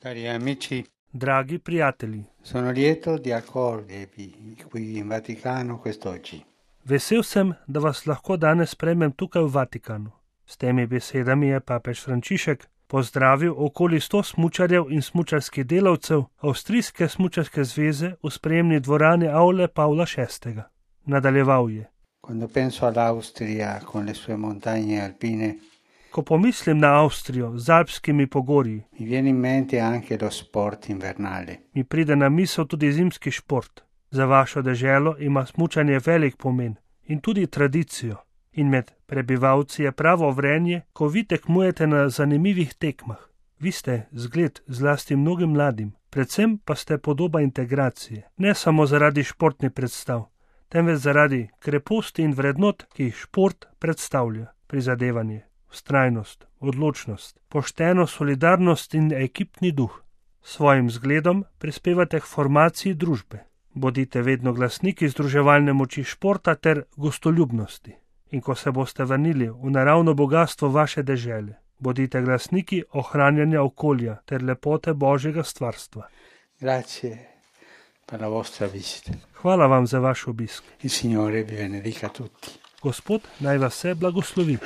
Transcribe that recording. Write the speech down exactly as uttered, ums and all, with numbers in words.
Cari amici, Dragi prijatelji, sono lieto di accogliervi qui in Vaticano quest'oggi. vesel sem, da vas lahko danes sprejmem tukaj v Vatikanu. S temi besedami je papež Frančišek pozdravil okoli sto smučarjev in smučarskih delavcev Avstrijske smučarske zveze v sprejemni dvorani Aule Pavla šestega. Nadaljeval je: Quando penso all'Austria con le sue montagne alpine, Ko pomislim na Avstrijo z alpskimi pogorji, mi viene in mente anche lo sport invernale. mi pride na misel tudi zimski šport. Za vašo deželo ima smučanje velik pomen in tudi tradicijo. In med prebivalci je pravo vrenje, ko vi tekmujete na zanimivih tekmah. Vi ste zgled zlasti mnogim mladim, predvsem pa ste podoba integracije. Ne samo zaradi športnih predstav, temveč zaradi kreposti in vrednot, ki jih šport predstavlja. Prizadevanje, vztrajnost, odločnost, pošteno solidarnost in ekipni duh. S svojim zgledom prispevate k formaciji družbe. Bodite vedno glasniki združevalne moči športa ter gostoljubnosti. In ko se boste vrnili v naravno bogastvo vaše dežele, bodite glasniki ohranjanja okolja ter lepote Božjega stvarstva. Grazie per la vostra visita. Hvala vam za vaš obisk. Il Signore vi benedica tutti. Gospod naj vas vse blagoslovi.